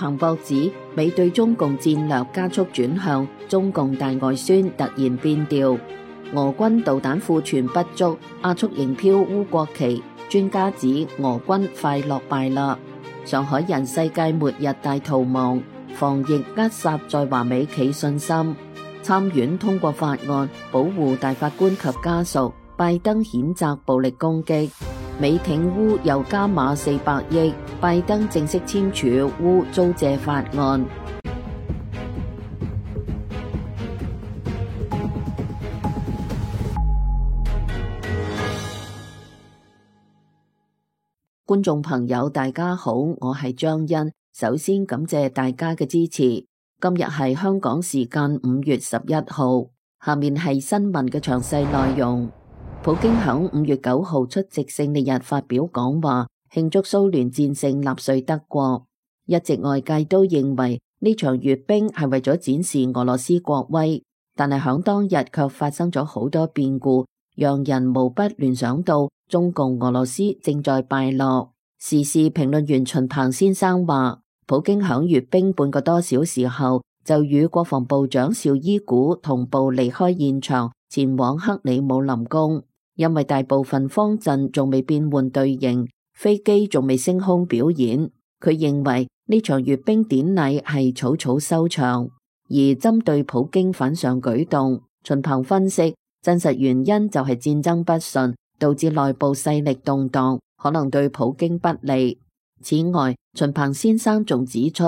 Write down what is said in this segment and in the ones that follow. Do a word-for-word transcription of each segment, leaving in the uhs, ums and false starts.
彭博指，美對中共戰略加速轉向，中共大外宣突然變調。俄軍導彈庫存不足，亞速營飄烏國旗。專家指俄軍快落敗啦。上海人世界末日大逃亡，防疫扼殺在華美企信心。參院通過法案保護大法官及家屬。拜登譴責暴力攻擊。美挺烏又加碼四百億，拜登正式簽署烏租借法案。觀眾朋友大家好，我係張欣，首先感謝大家嘅支持。今日係香港時間五月十一號，下面係新聞嘅詳細內容。普京響五月九號出席勝利日發表講話，慶祝蘇聯戰勝納粹德國。一直外界都認為呢場閱兵係為咗展示俄羅斯國威，但係響當日卻發生咗好多變故，讓人無不聯想到中共俄羅斯正在敗落。時事評論員秦鵬先生話，普京響閱兵半個多小時後，就與國防部長邵伊古同步離開現場，前往克里姆林宮。因為大部分方陣仲未變換隊形，飛機仲未升空表演，佢認為呢場閱兵典禮係草草收場。而針對普京反常舉動，秦鵬分析，真實原因就係戰爭不順，導致內部勢力動盪，可能對普京不利。此外，秦鵬先生仲指出，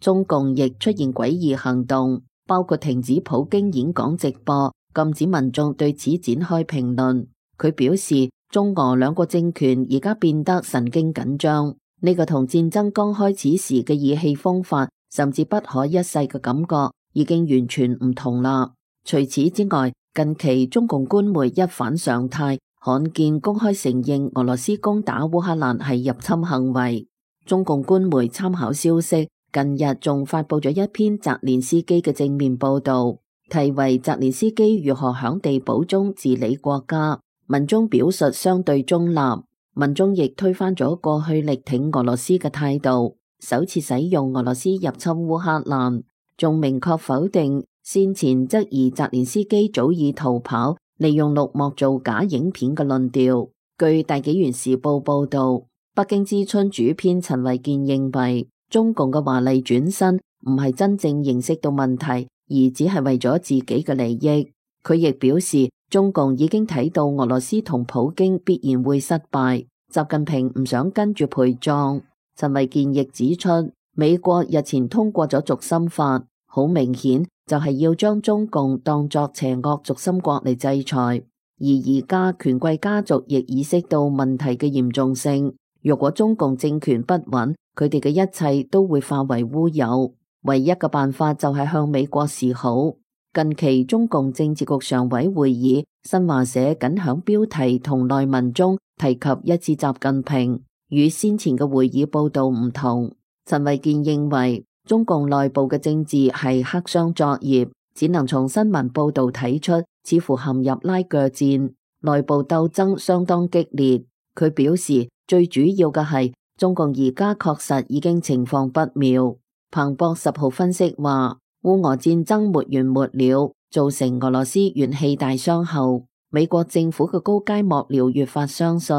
中共亦出現詭異行動，包括停止普京演講直播，禁止民眾對此展開評論。佢表示，中俄兩個政權而家變得神經緊張，呢個同戰爭剛開始時嘅意氣風發，甚至不可一世嘅感覺，已經完全唔同啦。除此之外，近期中共官媒一反常態，罕見公開承認俄羅斯攻打烏克蘭係入侵行為。中共官媒參考消息，近日仲發佈咗一篇澤連斯基嘅正面報道，題為澤連斯基如何響地堡中治理國家。文中表述相對中立，文中亦推翻咗過去力挺俄羅斯嘅態度，首次使用俄羅斯入侵烏克蘭，仲明確否定先前質疑澤連斯基早已逃跑，利用綠幕做假影片嘅論調。據大紀元時報報道，北京之春主編陳維健認為，中共嘅華麗轉身唔係真正認識到問題，而只係為咗自己嘅利益。佢亦表示，中共已經睇到俄羅斯同普京必然會失敗，習近平唔想跟住陪葬。陳維健亦指出，美國日前通過咗軸心法，好明顯就係要將中共當作邪惡軸心國嚟制裁。而而家權貴家族亦意識到問題嘅嚴重性，如果中共政權不穩，佢哋嘅一切都會化為烏有。唯一嘅辦法就係向美國示好。近期中共政治局常委會議，新華社僅響標題同內文中提及一次習近平，與先前嘅會議報道唔同。陳維健認為，中共內部嘅政治係黑箱作業，只能從新聞報道睇出，似乎陷入拉鋸戰，內部鬥爭相當激烈。佢表示，最主要嘅係中共而家確實已經情況不妙。彭博十號分析話，烏俄戰爭沒完沒了，造成俄羅斯元氣大傷後，美國政府嘅高階幕僚越發相信，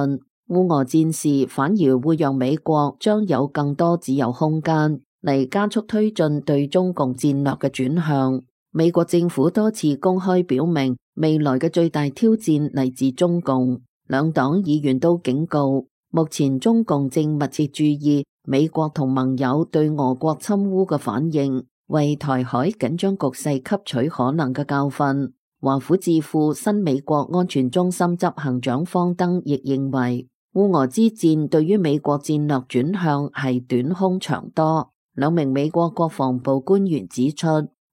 烏俄戰事反而會讓美國將有更多自由空間嚟加速推進對中共戰略嘅轉向。美國政府多次公開表明，未來嘅最大挑戰嚟自中共。兩黨議員都警告，目前中共正密切注意美國同盟友對俄國侵烏嘅反應，為台海緊張局勢吸取可能嘅教訓。華府智庫新美國安全中心執行長方登亦認為，烏俄之戰對於美國戰略轉向係短空長多。兩名美國國防部官員指出，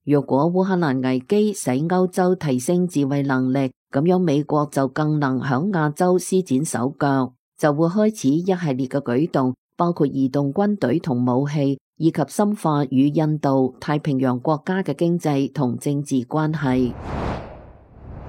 若果烏克蘭危機使歐洲提升自衛能力，咁樣美國就更能響亞洲施展手腳，就會開始一系列嘅舉動，包括移動軍隊同武器，以及深化與印度太平洋國家嘅經濟同政治關係。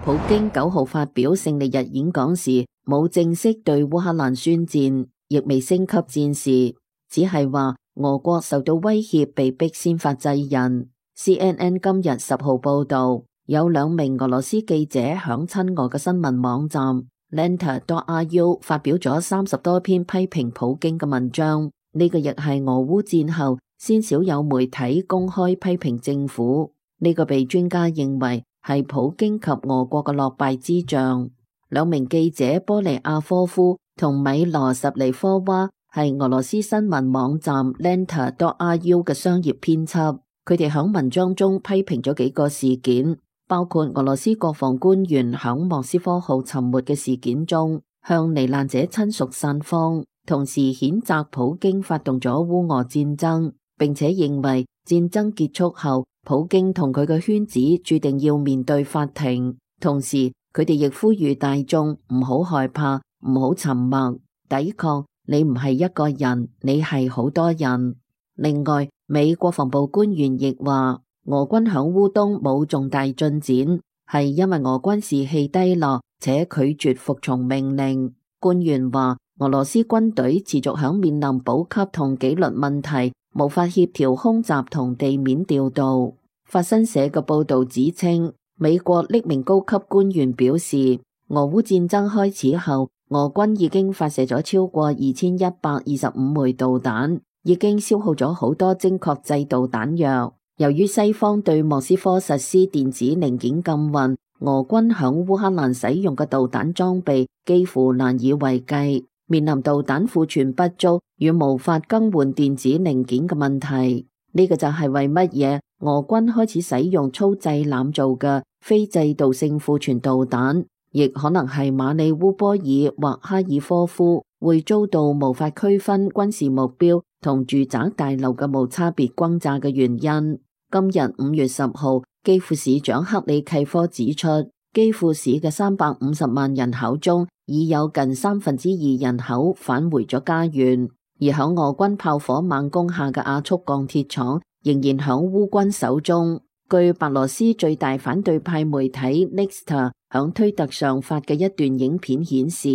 普京九號發表勝利日演講時，冇正式對烏克蘭宣戰，亦未升級戰事，只係話俄國受到威脅，被迫先發制人。C N N 今日十號報道，有兩名俄羅斯記者響親俄嘅新聞網站 Lenta dot R U 發表咗三十多篇批評普京嘅文章。呢、這個亦係俄烏戰後先少有媒體公開批評政府。呢、這個被專家認為係普京及俄國嘅落敗之象。兩名記者波利亞科夫同米羅什尼科娃係俄羅斯新聞網站 Lenta dot R U 嘅商業編輯。佢哋喺文章中批評咗幾個事件，包括俄羅斯國防官員響莫斯科號沉沒嘅事件中向罹難者親屬散謊，同時譴責普京發動咗烏俄戰爭，並且認為戰爭結束後普京同佢嘅圈子注定要面對法庭。同時佢哋亦呼籲大眾唔好害怕，唔好沉默，抵抗。你唔係一個人，你係好多人。另外，美國防部官員亦話，俄軍響烏東冇重大進展，係因為俄軍士氣低落且拒絕服從命令。官員話，俄羅斯軍隊持續響面臨補給同紀律問題，無法協調空襲同地面調度。法新社嘅報道指稱，美國匿名高級官員表示，俄烏戰爭開始後，俄軍已經發射咗超過二千一百二十五枚導彈，已經消耗咗好多精確制導彈藥。由於西方對莫斯科實施電子零件禁運，俄軍響烏克蘭使用嘅導彈裝備幾乎難以為繼，面臨導彈庫存不足與無法更換電子零件嘅問題。呢、這個就係為乜嘢俄軍開始使用粗製濫造嘅非制導性庫存導彈，亦可能係馬里烏波爾或哈爾科夫會遭到無法區分軍事目標同住宅大樓嘅無差別轟炸嘅原因。今日五月十號，基輔市長克里契科指出，基輔市嘅三百五十萬人口中，已有近三分之二人口返回咗家園，而響俄軍炮火猛攻下嘅亞速鋼鐵廠仍然響烏軍手中。據白羅斯最大反對派媒體 Nexta 響推特上發嘅一段影片顯示，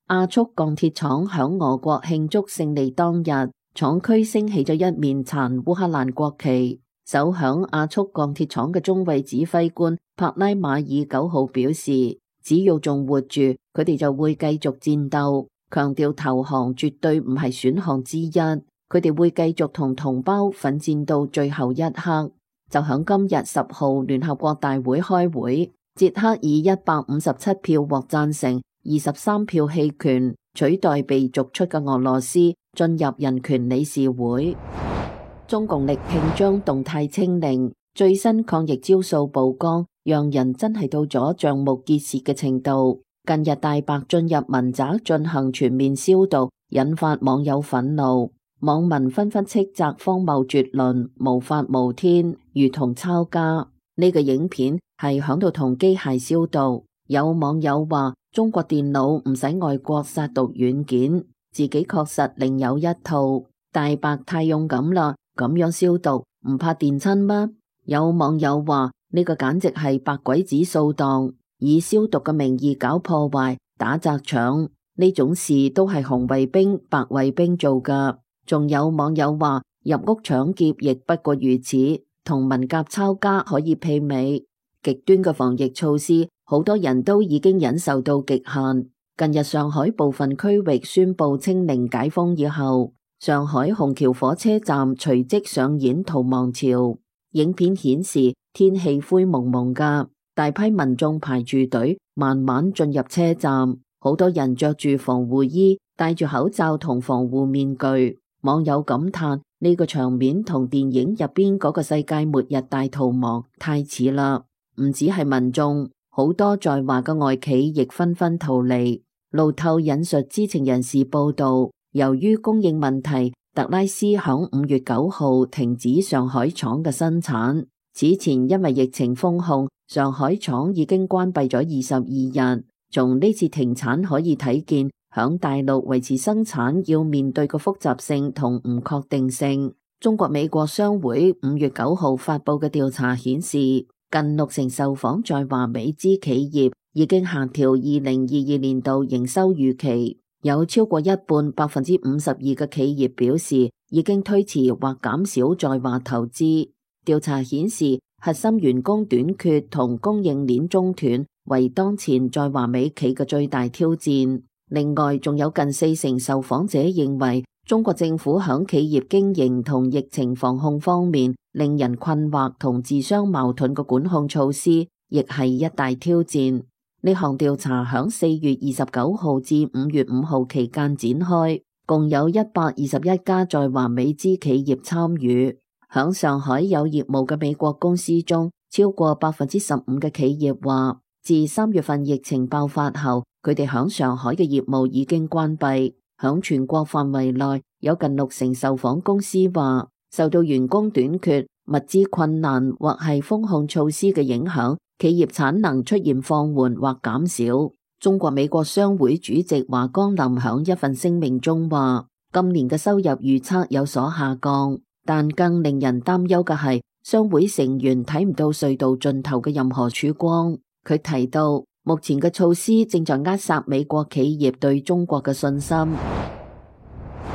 亞速鋼鐵廠響俄國慶祝勝利當日，廠區升起咗一面殘烏克蘭國旗。守響亞速鋼鐵廠嘅中尉指揮官帕拉馬爾九號表示，只要仲活住，佢哋就會繼續戰鬥，強調投降絕對唔係選項之一，佢哋會繼續同同胞奮戰到最後一刻。就響今日十號聯合國大會開會，捷克以一百五十七票獲贊成，二十三票棄權，取代被逐出嘅俄羅斯進入人權理事會。中共力拼將動態清零，最新抗疫招數曝光，讓人真係到咗瞠目結舌嘅程度。近日大白進入民宅進行全面消毒，引發網友憤怒，網民紛紛斥責荒謬絕倫、無法無天，如同抄家。呢、這個影片係響度同機械消毒，有網友話中國電腦唔使外國殺毒軟件，自己確實另有一套。大白太勇敢啦！咁樣消毒唔怕電親嗎？有網友話呢個簡直係白鬼子掃蕩，以消毒嘅名義搞破壞、打砸搶，呢種事都係紅衛兵、白衛兵做噶。仲有網友話入屋搶劫亦不過如此，同文革抄家可以媲美。極端嘅防疫措施，好多人都已經忍受到極限。近日上海部分區域宣布清零解封以後，上海虹橋火車站隨即上演逃亡潮。影片顯示天氣灰蒙蒙噶，大批民眾排住隊慢慢進入車站，好多人着住防護衣，戴住口罩同防護面具。網友感嘆呢個場面同電影入邊嗰個世界末日大逃亡太似啦。唔止係民眾，好多在華嘅外企亦紛紛逃離。路透引述知情人士報道，由於供應問題，特拉斯響五月九號停止上海廠嘅生產。此前因為疫情封控，上海廠已經關閉咗二十二日。從呢次停產可以睇見，響大陸維持生產要面對嘅複雜性同唔確定性。中國美國商會五月九號發佈嘅調查顯示，近六成受訪在華美資企業已經下調二零二二年度營收預期。有超過一半百分之五十二嘅企業表示已經推遲或減少在華投資。調查顯示，核心員工短缺同供應鏈中斷為當前在華美企嘅最大挑戰。另外，仲有近四成受訪者認為，中國政府響企業經營同疫情防控方面令人困惑同自相矛盾嘅管控措施，亦係一大挑戰。呢項調查響四月二十九號至五月五號期間展開，共有一百二十一家在華美資企業參與。響上海有業務嘅美國公司中，超過百分之十五嘅企業話，自三月份疫情爆發後，佢哋響上海嘅業務已經關閉。響全國範圍內，有近六成受訪公司話，受到員工短缺、物資困難或係封控措施嘅影響，企業產能出現放緩或減少。中國美國商會主席華江林響一份聲明中話，今年嘅收入預測有所下降。但更令人擔憂嘅係，商會成員睇唔到隧道盡頭嘅任何曙光。佢提到，目前嘅措施正在扼殺美國企業對中國嘅信心。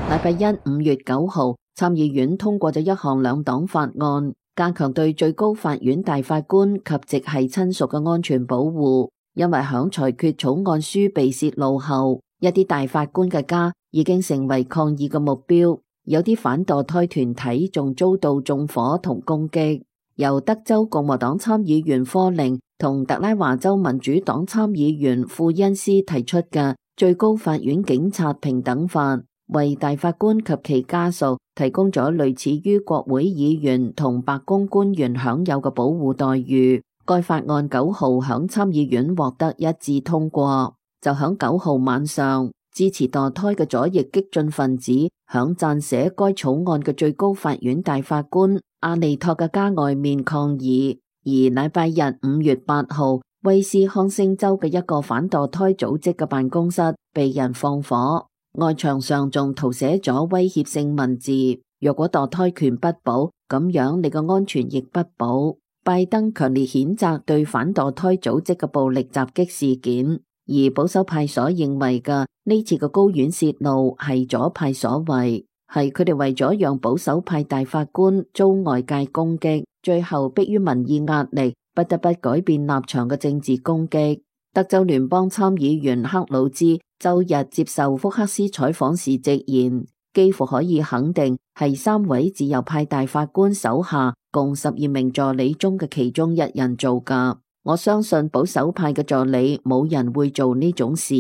禮拜一五月九號，參議院通過咗一項兩黨法案，加強對最高法院大法官及直系親屬嘅安全保護。因為響裁決草案書被洩露後，一啲大法官嘅家已經成為抗議嘅目標。有啲反墮胎團體仲遭到縱火同攻擊。由德州共和黨參議員科寧同特拉華州民主黨參議員庫恩斯提出嘅最高法院警察平等法，為大法官及其家屬提供咗類似於國會議員同白宮官員享有嘅保護待遇。該法案九號響參議院獲得一致通過。就響九號晚上，支持墮胎嘅左翼激進分子響撰寫該草案嘅最高法院大法官阿利托嘅家外面抗議。而禮拜日五月八號，威斯康星州嘅一個反墮胎組織嘅辦公室被人放火，外牆上仲塗寫咗威脅性文字：若果墮胎權不保，咁樣你嘅安全亦不保。拜登強烈譴責對反墮胎組織嘅暴力襲擊事件。而保守派所認為嘅呢次嘅高院洩露係左派所為，係佢哋為咗讓保守派大法官遭外界攻擊，最後迫於民意壓力，不得不改變立場嘅政治攻擊。德州聯邦參議員克魯茲周日接受福克斯採訪時直言，幾乎可以肯定係三位自由派大法官手下共十二名助理中嘅其中一人做㗎。我相信保守派嘅助理冇人會做呢種事，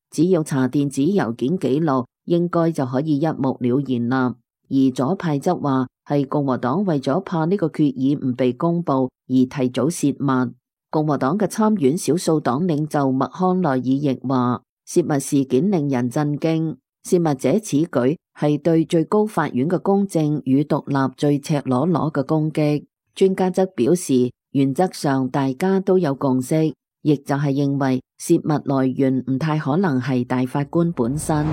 只要查電子郵件記錄，應該就可以一目了然啦。而左派則話係共和黨為咗怕呢個決議唔被公布而提早泄密。共和黨嘅參院少數黨領袖麥康奈爾亦話，泄密事件令人震驚，泄密者此舉係對最高法院嘅公正與獨立最赤裸裸嘅攻擊。專家則表示，原則上大家都有共識，亦就係認為泄密來源唔太可能係大法官本身。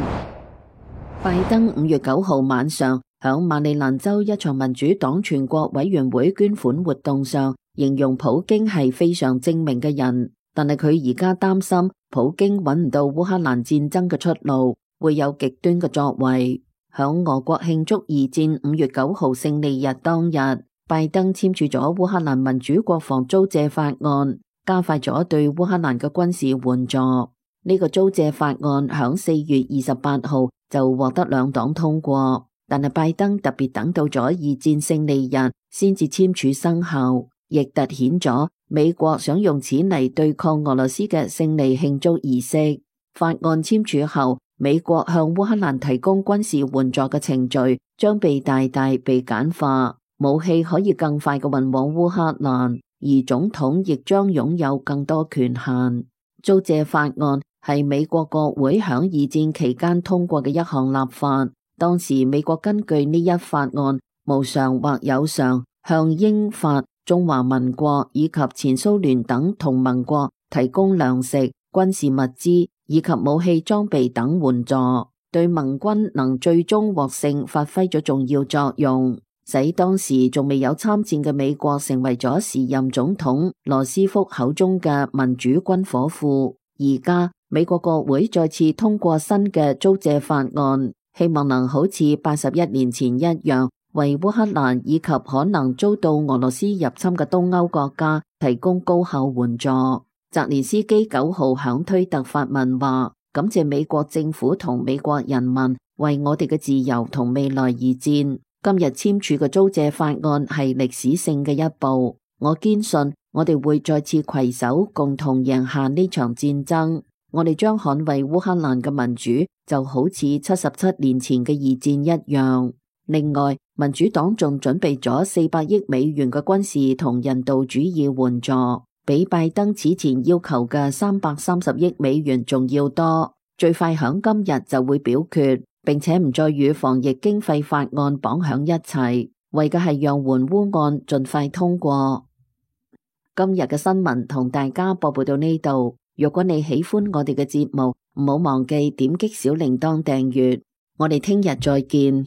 拜登五月九號晚上響馬里蘭州一場民主黨全國委員會捐款活動上，形容普京係非常精明嘅人，但係佢而家擔心普京揾唔到烏克蘭戰爭嘅出路，會有極端嘅作為。響俄國慶祝二戰五月九號勝利日當日，拜登簽署咗烏克蘭民主國防租借法案，加快咗對烏克蘭嘅軍事援助。呢個租借法案響四月二十八號就獲得兩黨通過，但係拜登特別等到咗二戰勝利日先至簽署生效，亦凸顯咗美國想用此嚟對抗俄羅斯嘅勝利慶祝儀式。法案簽署後，美國向烏克蘭提供軍事援助嘅程序將被大大被簡化。武器可以更快嘅運往烏克蘭，而總統亦將擁有更多權限。租借法案係美國國會響二戰期間通過嘅一項立法。當時美國根據呢一法案，無償或有償向英法、中華民國以及前蘇聯等同盟國提供糧食、軍事物資以及武器裝備等援助，對盟軍能最終獲勝發揮咗重要作用，使當時仲未有參戰嘅美國成為咗時任總統羅斯福口中嘅民主軍火庫。而家美國國會再次通過新嘅租借法案，希望能好似八十一年前一樣，為烏克蘭以及可能遭到俄羅斯入侵嘅東歐國家提供高效援助。澤連斯基九號響推特發文話，感謝美國政府同美國人民為我哋嘅自由同未來而戰。今日簽署嘅租借法案係歷史性嘅一步，我堅信我哋會再次攜手共同贏下呢場戰爭。我哋將捍衛烏克蘭嘅民主，就好似七十七年前嘅二戰一樣。另外，民主黨仲準備咗四百億美元嘅軍事同人道主義援助，比拜登此前要求嘅三百三十億美元仲要多，最快響今日就會表決，並且唔再與防疫經費法案綁響一齊，為嘅係讓援烏案盡快通過。今日嘅新聞同大家播報到呢度。如果你喜歡我哋嘅節目，唔好忘記點擊小鈴鐺訂閱。我哋聽日再見。